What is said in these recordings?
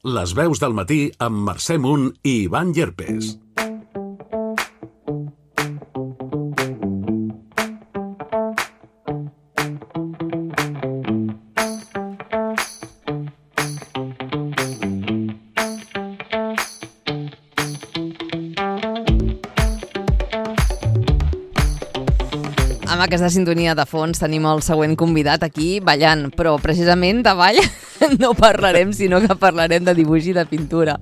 Les veus del matí amb Mercè Munt i Ivan Llerpes. Amb aquesta sintonia de fons tenim el següent convidat aquí ballant, però precisament de ball no parlarem, sinó que parlarem de dibuix i de pintura.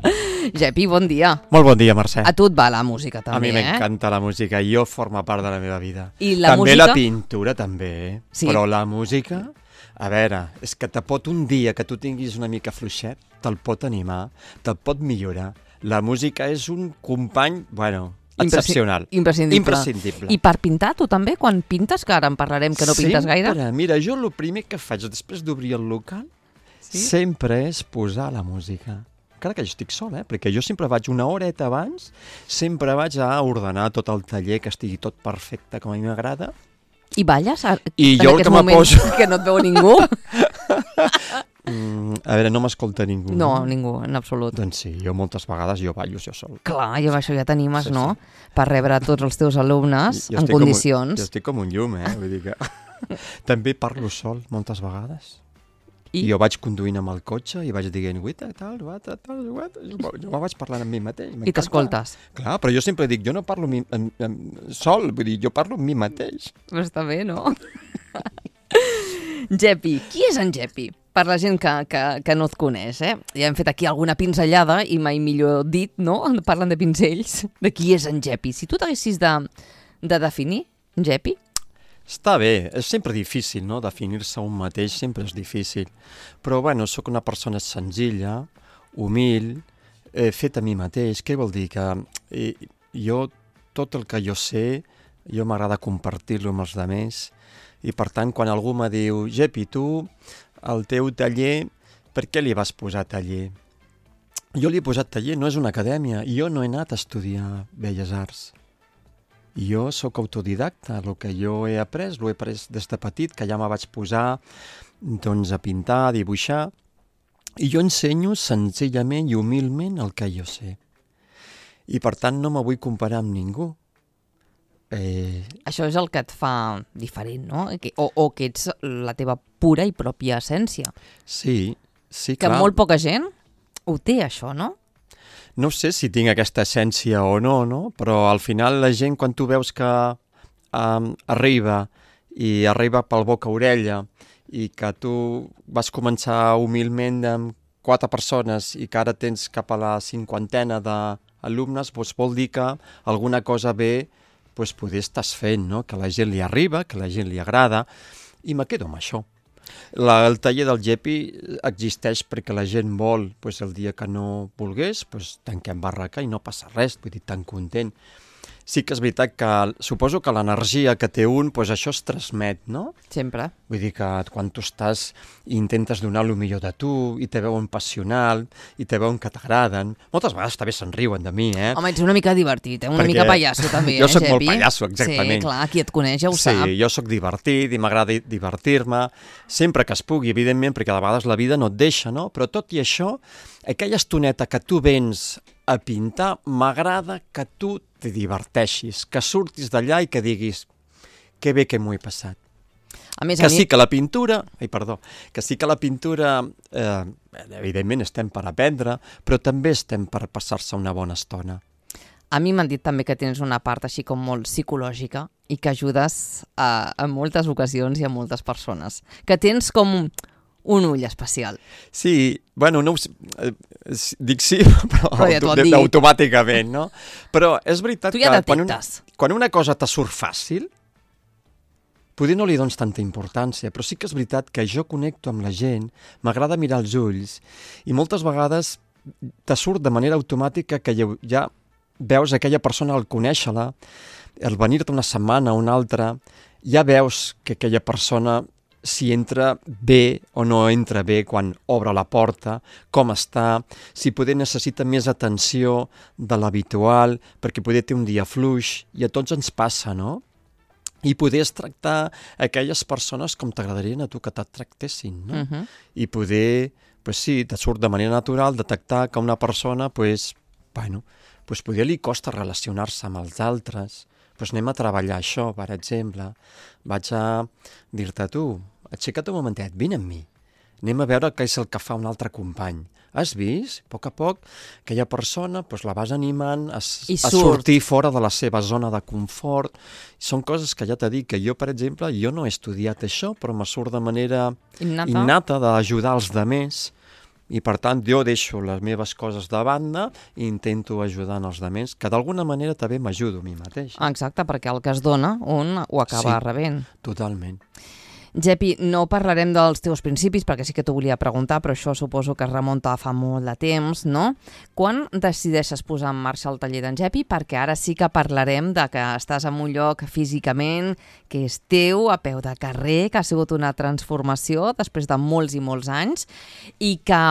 Jepi, bon dia. Molt bon dia, Mercè. A tu et va la música també, A mi m'encanta la música, jo forma part de la meva vida. I la també música? La pintura, també, Sí. Però la música, a veure, és que te pot un dia que tu tinguis una mica fluixet, te'l pot animar, te'l pot millorar. La música és un company, excepcional. Imprescindible. I per pintar, tu també, quan pintes, que ara en parlarem que no pintes gaire? Mira, jo el primer que faig després d'obrir el local sempre és posar la música. Encara que jo estic sol, perquè jo sempre vaig una horeta abans, sempre vaig a ordenar tot el taller, que estigui tot perfecte com a mi m'agrada. I balles? I jo el que me poso... Que no et veu ningú? A veure, no m'escolta ningú. No, ningú, en absolut. Doncs sí, jo moltes vegades ballo jo sol. Clar, i amb això ja t'animes, no? Per rebre tots els teus alumnes en condicions. Jo estic com un llum, vull dir que... També parlo sol moltes vegades. I jo vaig conduint amb el cotxe i vaig dient jo me vaig parlant amb mi mateix. I t'escoltes. Clar, però jo sempre dic, jo no parlo sol, vull dir, jo parlo amb mi mateix. Però està bé, no? Jepi, qui és en Jepi? Per la gent que no et coneix, Ja hem fet aquí alguna pinzellada i mai millor dit, no? Parlen de pinzells. De qui és en Jepi? Si tu t'haguessis de definir, Jepi? Està bé, és sempre difícil, no? Definir-se un mateix sempre és difícil. Però, sóc una persona senzilla, humil, fet a mi mateix. Què vol dir? Que jo, tot el que jo sé, jo m'agrada compartir-lo amb els altres. I, per tant, quan algú me diu, Jepi, tu, el teu taller, per què li vas posar taller? Jo li he posat taller, no és una acadèmia. Jo no he anat a estudiar Belles Arts. Jo sóc autodidacta, el que jo he après, l'he après des de petit, que ja me vaig posar a pintar, a dibuixar, i jo ensenyo senzillament i humilment el que jo sé. I per tant no me vull comparar amb ningú. Això és el que et fa diferent, no? O que ets la teva pura i pròpia essència. Sí, clar. Que molt poca gent ho té, això, no? No sé si tinc aquesta essència o no, però al final la gent, quan tu veus que arriba pel boca-orella i que tu vas començar humilment amb 4 persones i que ara tens cap a la 50ena d'alumnes, vol dir que alguna cosa bé poder estàs fent, no? Que la gent li arriba, que la gent li agrada, i me quedo amb això. El taller del Jepi existeix perquè la gent vol, el dia que no volgués, tanquem barraca i no passa res, vull dir, tan content. Sí que és veritat que suposo que l'energia que té un, això es transmet, no? Sempre. Vull dir que quan tu estàs i intentes donar el millor de tu, i te veuen passional, i te veuen que t'agraden, moltes vegades també se'n riuen de mi, Home, ets una mica divertit, una mica pallasso també, jo soc Jepi? molt pallasso, exactament. Sí, clar, qui et coneix ja ho sap. Sí, jo soc divertit i m'agrada divertir-me, sempre que es pugui, evidentment, perquè a vegades la vida no et deixa, no? Però tot i això, aquella estoneta que tu vens a pintar, m'agrada que tu te diverteixis, que surtis d'allà i que diguis que bé que m'ho he passat. Sí que la pintura, evidentment estem per aprendre, però també estem per passar-se una bona estona. A mi m'han dit també que tens una part així com molt psicològica i que ajudes a moltes ocasions i a moltes persones. Que tens com un ull especial. Sí, no dic sí, però ja automàticament, no? Però és veritat tu ja que quan una cosa te surt fàcil, potser no li dones tanta importància, però sí que és veritat que jo connecto amb la gent, m'agrada mirar els ulls, i moltes vegades te surt de manera automàtica que ja veus aquella persona al conèixer-la, al venir-te una setmana o una altra, ja veus que aquella persona si entra bé o no entra bé quan obre la porta, com està, si poder necessita més atenció de l'habitual, perquè poder té un dia fluix, i a tots ens passa, no? I poder tractar aquelles persones com t'agradarien a tu que et tractessin, no? I poder pues sí, te surt de manera natural detectar que una persona, pues potser li costa relacionar-se amb els altres. Pues anem a treballar això, per exemple. Vaig a dir-te, tu, aixeca't un momentet, vine amb mi. Anem a veure què és el que fa un altre company. Has vist? A poc, aquella persona la vas animant a sortir fora de la seva zona de confort. Són coses que ja t'he dit que jo, per exemple, no he estudiat això, però me surt de manera innata d'ajudar els altres. I, per tant, jo deixo les meves coses de banda i intento ajudar els altres, que d'alguna manera també m'ajudo a mi mateix. Exacte, perquè el que es dona, un ho acaba rebent. Totalment. Gepi, no parlarem dels teus principis, perquè sí que t'ho volia preguntar, però això suposo que es remunta a fa molt de temps, no? Quan decideixes posar en marxa el taller d'en Gepi? Perquè ara sí que parlarem de que estàs en un lloc físicament que és teu, a peu de carrer, que ha sigut una transformació després de molts i molts anys, i que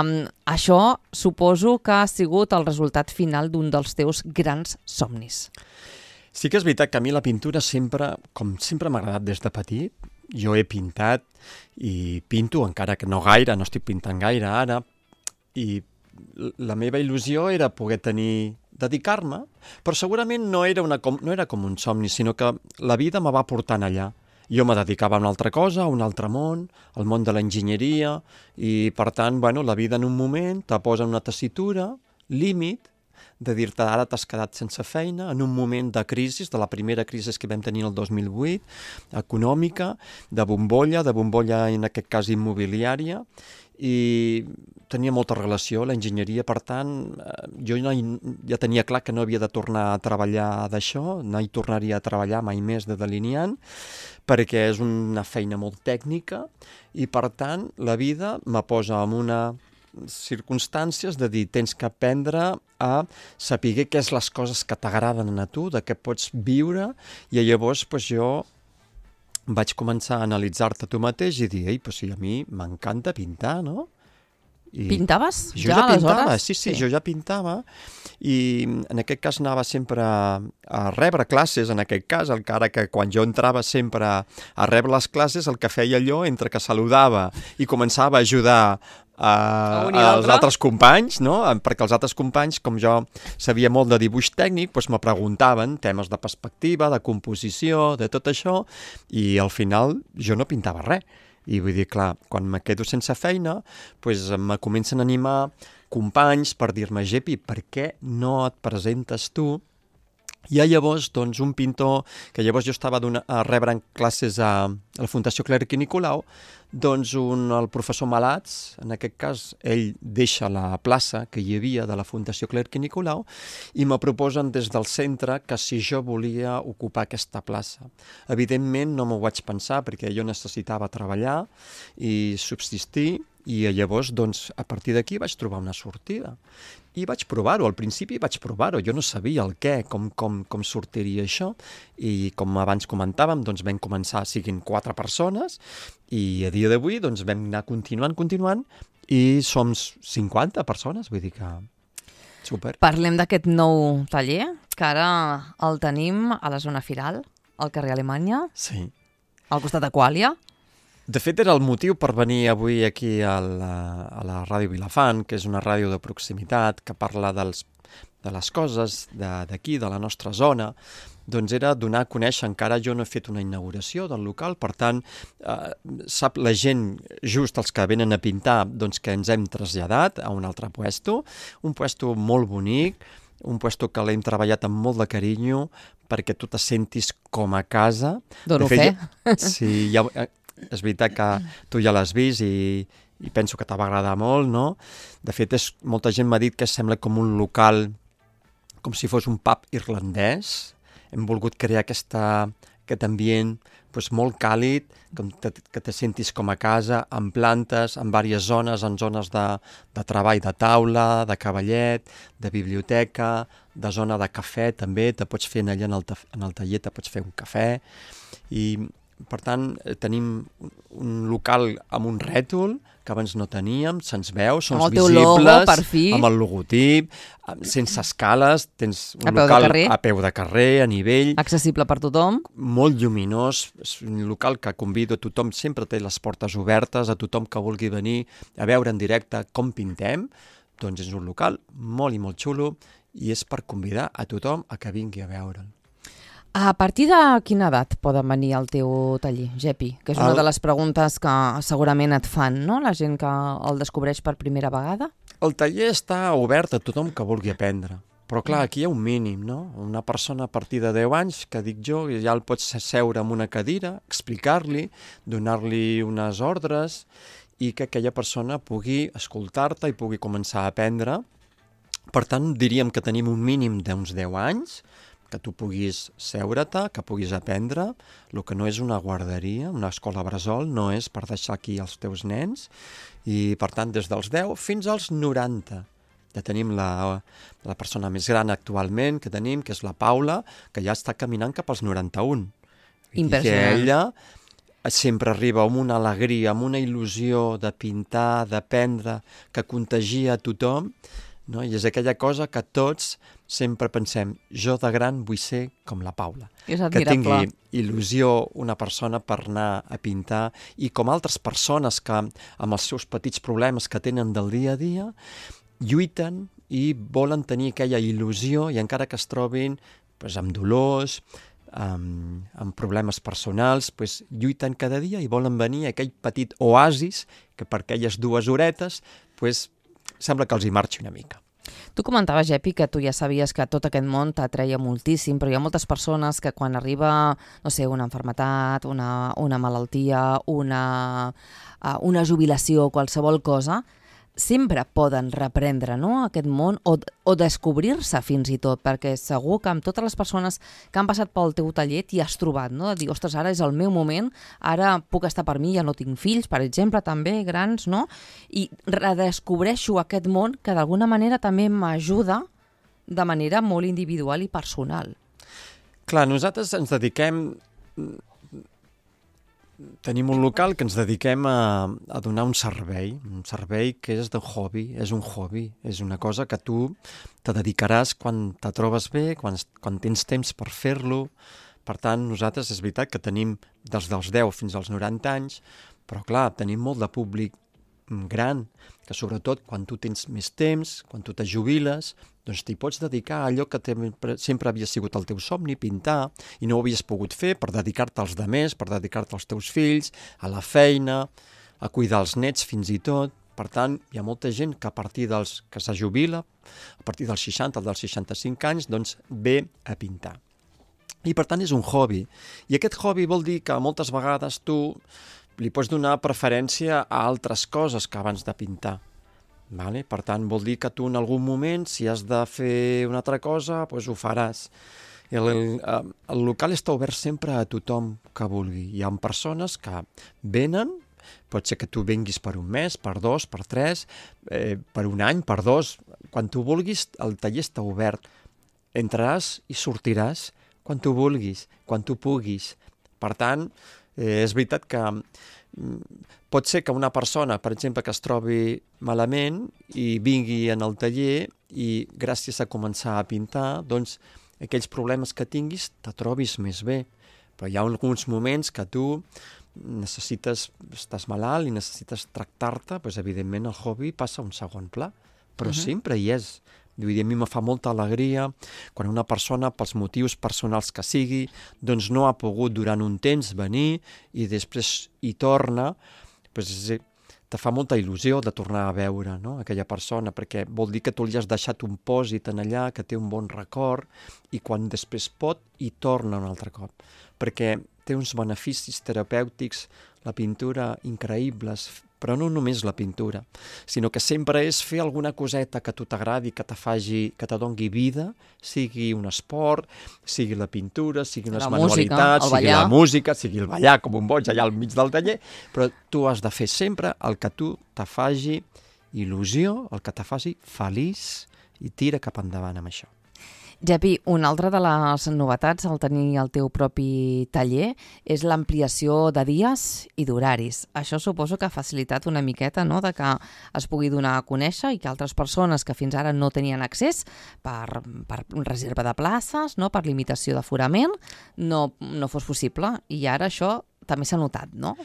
això suposo que ha sigut el resultat final d'un dels teus grans somnis. Sí que és veritat que a mi la pintura sempre m'ha agradat des de petit. Jo he pintat i pinto, encara que no gaire, no estic pintant gaire ara, i la meva il·lusió era poder dedicar-me, però segurament no era com un somni, sinó que la vida me va portant allà. Jo me dedicava a una altra cosa, a un altre món, al món de l'enginyeria, i per tant, la vida en un moment te posa en una tessitura, límit, de dir-te ara t'has quedat sense feina en un moment de crisi, de la primera crisi que vam tenir el 2008, econòmica, de bombolla en aquest cas immobiliària, i tenia molta relació a l'enginyeria, per tant, jo ja tenia clar que no havia de tornar a treballar d'això, no hi tornaria a treballar mai més de delineant, perquè és una feina molt tècnica, i per tant la vida me posa en una circumstàncies de dir, tens que aprendre a saber què és les coses que t'agraden a tu, de què pots viure, i llavors jo vaig començar a analitzar-te tu mateix i dir, si a mi m'encanta pintar, no? Pintaves ja aleshores? Sí, jo ja pintava, i en aquest cas anava sempre a rebre classes, en aquest cas, encara que quan jo entrava sempre a rebre les classes, el que feia allò, entre que saludava i començava a ajudar als altres companys, no? Perquè els altres companys, com jo sabia molt de dibuix tècnic, me preguntaven temes de perspectiva, de composició, de tot això, i al final jo no pintava res. I vull dir, clar, quan me quedo sense feina, me comencen a animar companys per dir-me, Gepi, per què no et presentes tu? I llavors, un pintor, que llavors jo estava rebrant classes a la Fundació Clerc i Nicolau, el professor Malats, en aquest cas, ell deixa la plaça que hi havia de la Fundació Clerc i Nicolau i me proposen des del centre que si jo volia ocupar aquesta plaça. Evidentment no m'ho vaig pensar perquè jo necessitava treballar i subsistir, i llavors, a partir d'aquí vaig trobar una sortida. I vaig provar-ho, al principi vaig provar-ho, jo no sabia el què, com sortiria això, i com abans comentàvem, vam començar siguin 4 persones, i a dia d'avui vam anar continuant, i som 50 persones, vull dir que super. Parlem d'aquest nou taller, que ara el tenim a la zona Firal, al carrer Alemanya, sí, al costat de Quàlia. De fet, era el motiu per venir avui aquí a la Ràdio Vilafant, que és una ràdio de proximitat, que parla de les coses d'aquí, de la nostra zona. Era donar a conèixer, encara jo no he fet una inauguració del local, per tant, sap la gent, just els que venen a pintar, que ens hem traslladat a un altre puesto, un puesto molt bonic, un puesto que l'hem treballat amb molt de carinyo, perquè tu te sentis com a casa. Dono fe. Sí, és veritat que tu ja l'has vist i penso que te va agradar molt, no? De fet, molta gent m'ha dit que sembla com un local, com si fos un pub irlandès. Hem volgut crear aquest ambient molt càlid, que te sentis com a casa, amb plantes, en diverses zones, en zones de treball de taula, de cavallet, de biblioteca, de zona de cafè també, te pots fer allà en el taller, te pots fer un cafè, i per tant, tenim un local amb un rètol que abans no teníem, se'ns veu, som visibles, logo, per fi, amb el logotip, sense escales, tens un A peu de local carrer. a peu de carrer, a nivell, Accessible per tothom. molt lluminós, és un local que convido a tothom, sempre té les portes obertes, a tothom que vulgui venir a veure en directe com pintem, doncs és un local molt i molt xulo i és per convidar a tothom a que vingui a veure'l. A partir de quina edat poden venir al teu taller, Gepi? Que és una de les preguntes que segurament et fan, no?, la gent que el descobreix per primera vegada. El taller està obert a tothom que vulgui aprendre, però clar, aquí hi ha un mínim, no? Una persona a partir de 10 anys, que dic jo, ja el pots seure en una cadira, explicar-li, donar-li unes ordres i que aquella persona pugui escoltar-te i pugui començar a aprendre. Per tant, diríem que tenim un mínim d'uns 10 anys, que tu puguis seure-te, que puguis aprendre. El que no és una guarderia, una escola bressol, no és per deixar aquí els teus nens. I, per tant, des dels 10 fins als 90. Ja tenim la persona més gran actualment que tenim, que és la Paula, que ja està caminant cap als 91. Impressionant. I que ella sempre arriba amb una alegria, amb una il·lusió de pintar, d'aprendre, que contagia a tothom, no? I és aquella cosa que tots sempre pensem, jo de gran vull ser com la Paula. És Que admirable. tingui il·lusió una persona per anar a pintar i com altres persones que amb els seus petits problemes que tenen del dia a dia lluiten i volen tenir aquella il·lusió i encara que es trobin doncs, amb dolors, amb problemes personals, doncs, lluiten cada dia i volen venir a aquell petit oasis que per aquelles 2 horetes doncs, sembla que els hi marxi una mica. Tu comentaves, Gepi, que tu ja sabies que tot aquest món t'atreia moltíssim, però hi ha moltes persones que quan arriba, no sé, una malaltia, una malaltia, una jubilació, qualsevol cosa, sempre poden reprendre, no?, aquest món o descobrir-se fins i tot, perquè segur que amb totes les persones que han passat pel teu taller t'hi has trobat, no?, de dir, ostres, ara és el meu moment, ara puc estar per mi, ja no tinc fills, per exemple, també, grans, no?, i redescobreixo aquest món que d'alguna manera també m'ajuda de manera molt individual i personal. Clar, nosaltres ens dediquem... Tenim un local que ens dediquem a donar un servei que és de hobby, és un hobby, és una cosa que tu te dedicaràs quan te trobes bé, quan tens temps per fer-lo. Per tant, nosaltres és veritat que tenim dels 10 fins als 90 anys, però clar, tenim molt de públic gran, que sobretot quan tu tens més temps, quan tu te jubiles, doncs t'hi pots dedicar a allò que sempre havia sigut el teu somni, pintar, i no ho havies pogut fer per dedicar-te als demés, per dedicar-te als teus fills, a la feina, a cuidar els nets fins i tot. Per tant, hi ha molta gent que a partir dels que se jubila, a partir dels 60 o dels 65 anys, doncs ve a pintar. I per tant és un hobby. I aquest hobby vol dir que moltes vegades tu li pots donar preferència a altres coses que abans de pintar. Vale? Per tant, vol dir que tu en algun moment, si has de fer una altra cosa, doncs ho faràs. El local està obert sempre a tothom que vulgui. Hi ha persones que venen, pot ser que tu vinguis per un mes, per 2, per 3, per un any, per 2. Quan tu vulguis, el taller està obert. Entraràs i sortiràs quan tu vulguis, quan tu puguis. Per tant, és veritat que pot ser que una persona, per exemple, que es trobi malament i vingui en el taller i gràcies a començar a pintar, doncs aquells problemes que tinguis te trobis més bé. Però hi ha alguns moments que tu estàs malalt i necessites tractar-te, doncs evidentment el hobby passa a un segon pla, però sempre hi és. Vull dir, a mi me fa molta alegria quan una persona, pels motius personals que sigui, doncs no ha pogut durant un temps venir i després hi torna, doncs te fa molta il·lusió de tornar a veure, no?, aquella persona, perquè vol dir que tu li has deixat un pòsit en allà, que té un bon record, i quan després pot, hi torna un altre cop. Perquè té uns beneficis terapèutics, la pintura, increïbles, però no només la pintura, sinó que sempre és fer alguna coseta que a tu t'agradi, que te doni vida, sigui un esport, sigui la pintura, sigui unes manualitats, sigui la música, sigui el ballar com un boig allà al mig del taller, però tu has de fer sempre el que tu te faci il·lusió, el que te faci feliç i tira cap endavant amb això. Jepi, una altra de les novetats al tenir el teu propi taller és l'ampliació de dies i d'horaris. Això suposo que ha facilitat una miqueta, no?, de que es pugui donar a conèixer i que altres persones que fins ara no tenien accés per reserva de places, no?, per limitació d'aforament, no fos possible. I ara això també s'ha notat, no?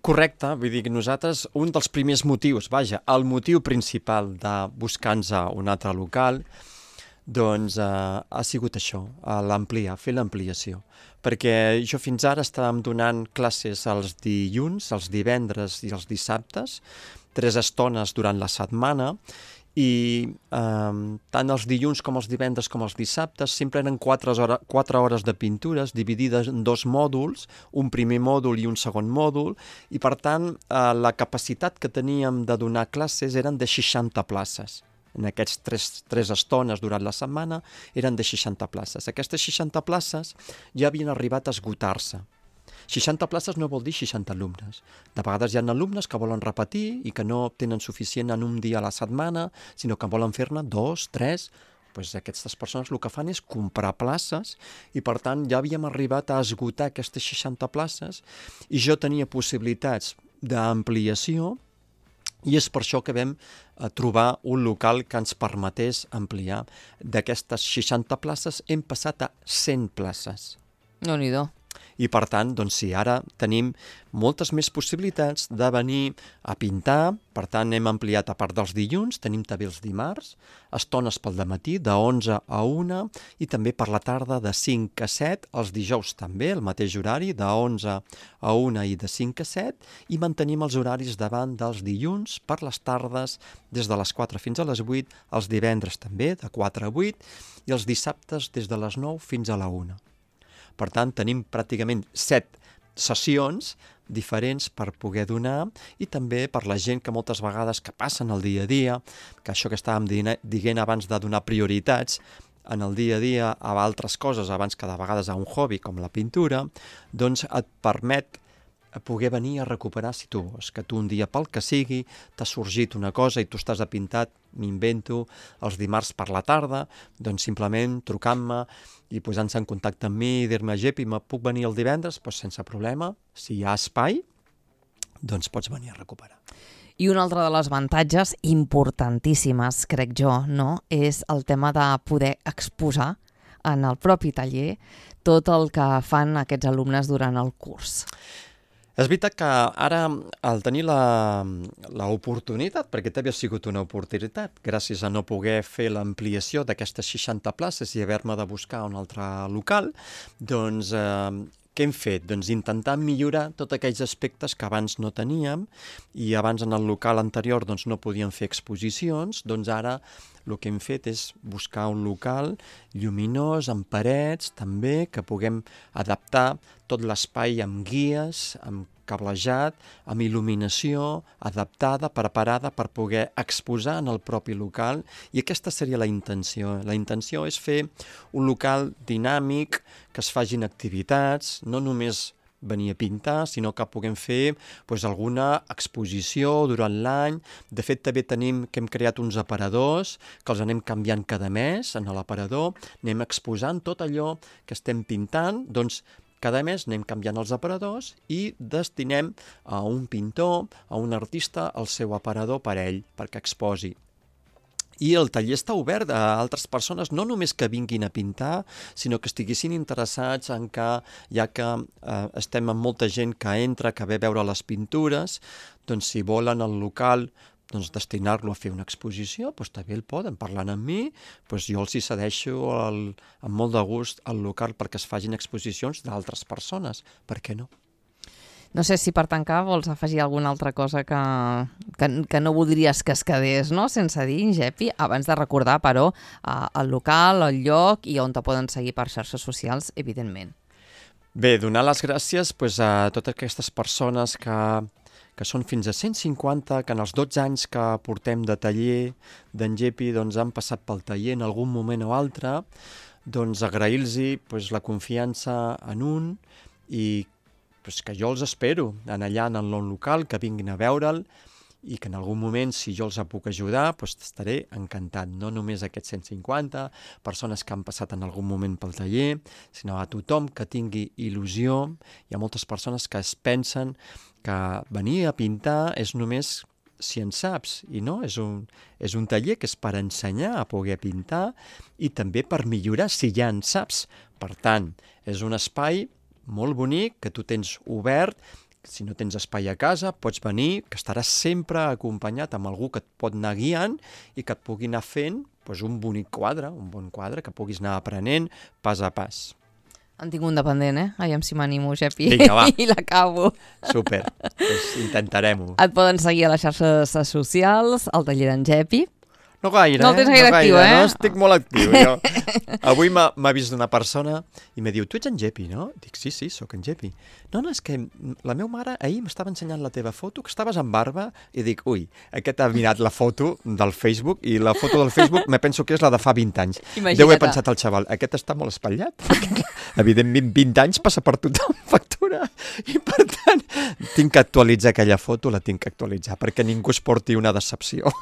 Correcte, vull dir que nosaltres, un dels primers motius, el motiu principal de buscar-nos un altre local, doncs ha sigut això, fer l'ampliació. Perquè jo fins ara estàvem donant classes els dilluns, els divendres i els dissabtes, 3 estones durant la setmana, i tant els dilluns com els divendres com els dissabtes sempre eren 4 hores de pintures dividides en 2 mòduls, un primer mòdul i un segon mòdul, i per tant la capacitat que teníem de donar classes eren de 60 places. En aquests 3 estones durant la setmana eren de 60 places. Aquestes 60 places ja havien arribat a esgotar-se. 60 places no vol dir 60 alumnes. De vegades hi ha alumnes que volen repetir i que no tenen suficient en un dia a la setmana, sinó que volen fer-ne 2, 3... Doncs aquestes persones el que fan és comprar places i, per tant, ja havíem arribat a esgotar aquestes 60 places i jo tenia possibilitats d'ampliació i és per això que vam trobar un local que ens permetés ampliar. D'aquestes 60 places hem passat a 100 places. Déu-n'hi-do. I per tant, doncs sí, ara tenim moltes més possibilitats de venir a pintar, per tant hem ampliat a part dels dilluns, tenim també els dimarts, estones pel dematí de 11 a 1 i també per la tarda de 5 a 7, els dijous també, el mateix horari, de 11 a 1 i de 5 a 7, i mantenim els horaris davant dels dilluns per les tardes des de les 4 fins a les 8, els divendres també de 4 a 8 i els dissabtes des de les 9 fins a la 1. Per tant, tenim pràcticament 7 sessions diferents per poder donar i també per la gent que moltes vegades que passen el dia a dia, que això que estàvem dient abans de donar prioritats en el dia a dia a altres coses abans que de vegades a un hobby com la pintura, doncs et permet poder venir a recuperar si tu vols, que tu un dia pel que sigui t'ha sorgit una cosa i tu estàs a pintat, m'invento, els dimarts per la tarda, doncs simplement trucant-me i posant-se en contacte amb mi i dir-me, Jepi, me puc venir el divendres? Doncs sense problema, si hi ha espai, doncs pots venir a recuperar. I un altre de les avantatges importantíssimes, crec jo, no?, és el tema de poder exposar en el propi taller tot el que fan aquests alumnes durant el curs. És veritat que ara, al tenir l'oportunitat, perquè també ha sigut una oportunitat, gràcies a no poder fer l'ampliació d'aquestes 60 places i haver-me de buscar un altre local, doncs què hem fet? Doncs intentar millorar tots aquells aspectes que abans no teníem i abans en el local anterior doncs, no podíem fer exposicions, doncs ara el que hem fet és buscar un local lluminós, amb parets també, que puguem adaptar tot l'espai amb guies, amb cablejat, amb il·luminació adaptada, preparada per poder exposar en el propi local, i aquesta seria la intenció. La intenció és fer un local dinàmic, que es facin activitats, no només venir a pintar, sinó que puguem fer alguna exposició durant l'any. De fet, també tenim que hem creat uns aparadors que els anem canviant cada mes en l'aparador, anem exposant tot allò que estem pintant, doncs cada mes anem canviant els aparadors i destinem a un pintor, a un artista, el seu aparador per ell, perquè exposi. I el taller està obert a altres persones, no només que vinguin a pintar, sinó que estiguessin interessats en que, ja que estem amb molta gent que entra, que ve a veure les pintures, doncs si volen el local destinar-lo a fer una exposició, doncs també el poden, parlant amb mi, doncs jo els hi cedeixo amb molt de gust el local perquè es facin exposicions d'altres persones, per què no? No sé si per tancar vols afegir alguna altra cosa que no voldries que es quedés, no?, sense dir, Jepi, abans de recordar, però, el local, el lloc i on te poden seguir per xarxes socials, evidentment. Bé, donar les gràcies a totes aquestes persones que són fins a 150, que en els 12 anys que portem de taller d'en Jepi han passat pel taller en algun moment o altre, doncs agrair-los la confiança en un i que jo els espero allà en el local, que vinguin a veure'l i que en algun moment, si jo els puc ajudar, doncs estaré encantat. No només aquests 150 persones que han passat en algun moment pel taller, sinó a tothom que tingui il·lusió. Hi ha moltes persones que es pensen que venir a pintar és només si en saps, i no, és un taller que és per ensenyar a poder pintar i també per millorar si ja en saps. Per tant, és un espai molt bonic que tu tens obert. Si no tens espai a casa, pots venir, que estaràs sempre acompanyat amb algú que et pot anar guiant i que et pugui anar fent un bonic quadre, un bon quadre, que puguis anar aprenent pas a pas. En tinc un dependent, Aviam si m'animo, Gepi. Vinga, va. I l'acabo. Súper, doncs intentarem-ho. Et poden seguir a les xarxes socials, al taller d'en Gepi. No gaire, no el tens gaire actiu, No estic molt actiu, jo. Avui m'ha vist una persona i me diu, tu ets en Gepi, no? Dic, sí, sóc en Gepi. No, és que la meva mare ahir m'estava ensenyant la teva foto, que estaves amb barba, i dic, ui, aquest ha mirat la foto del Facebook, i la foto del Facebook me penso que és la de fa 20 anys. Imagina't. Deu haver pensat el xaval, aquest està molt espatllat, perquè evidentment 20 anys passa per tothom factura, i per tant tinc que actualitzar aquella foto, la tinc que actualitzar, perquè ningú es porti una decepció.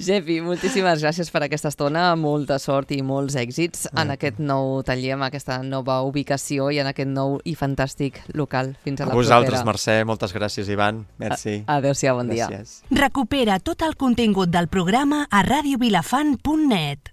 Gepi, moltíssimes gràcies per aquesta estona, molta sort i molts èxits en aquest nou taller, en aquesta nova ubicació i en aquest nou i fantàstic local. Fins a la propera. A vosaltres, Mercè, moltes gràcies, Ivan. Merci. Adéu-siau, bon dia. Gràcies. Recupera tot el contingut del programa a radiovilafant.net.